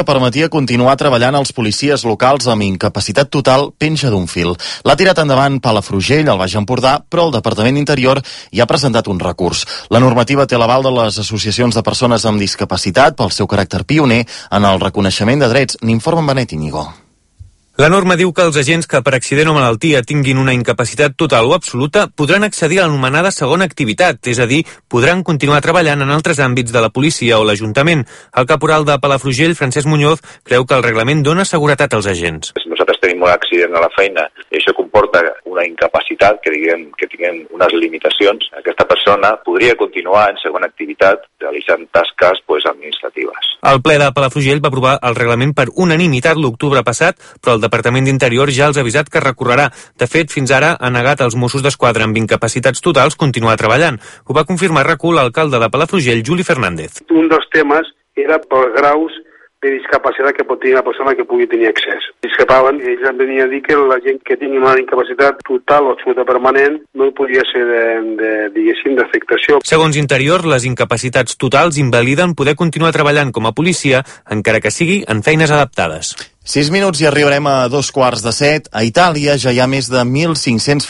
permetia continuar treballant als policies locals amb incapacitat total penja d'un fil. L'ha tirat endavant Palafrugell, al Baix Empordà, però el Departament d'Interior hi ha presentat un recurs. La normativa té l'aval de les associacions de persones amb discapacitat pel seu caràcter pioner en el reconeixement de drets. N'informa en Benet Íñigo. La norma diu que els agents que per accident o malaltia tinguin una incapacitat total o absoluta podran accedir a l'anomenada segona activitat, és a dir, podran continuar treballant en altres àmbits de la policia o l'Ajuntament. El caporal de Palafrugell, Francesc Muñoz, creu que el reglament dona seguretat als agents. Si nosaltres tenim un accident a la feina i això comporta una incapacitat, que tinguem unes limitacions, aquesta persona podria continuar en segona activitat realitzant tasques administratives. El ple de Palafrugell va aprovar el reglament per unanimitat l'octubre passat, però el Departament d'Interior ja els ha avisat que recorrerà. De fet, fins ara ha negat als Mossos d'Esquadra amb incapacitats totals continuar treballant. Ho va confirmar a RAC1 l'alcalde de Palafrugell, Juli Fernández. Un dels temes era pels graus de discapacitat que pot tenir la persona que pugui tenir accés. Discrepaven, ells em venien a dir que la gent que tingui una incapacitat total o absoluta permanent no podia ser d'afectació. Segons Interior, les incapacitats totals invaliden poder continuar treballant com a policia, encara que sigui en feines adaptades. 6 minuts i arribarem a 7:15. A Itàlia ja hi ha més de 1.500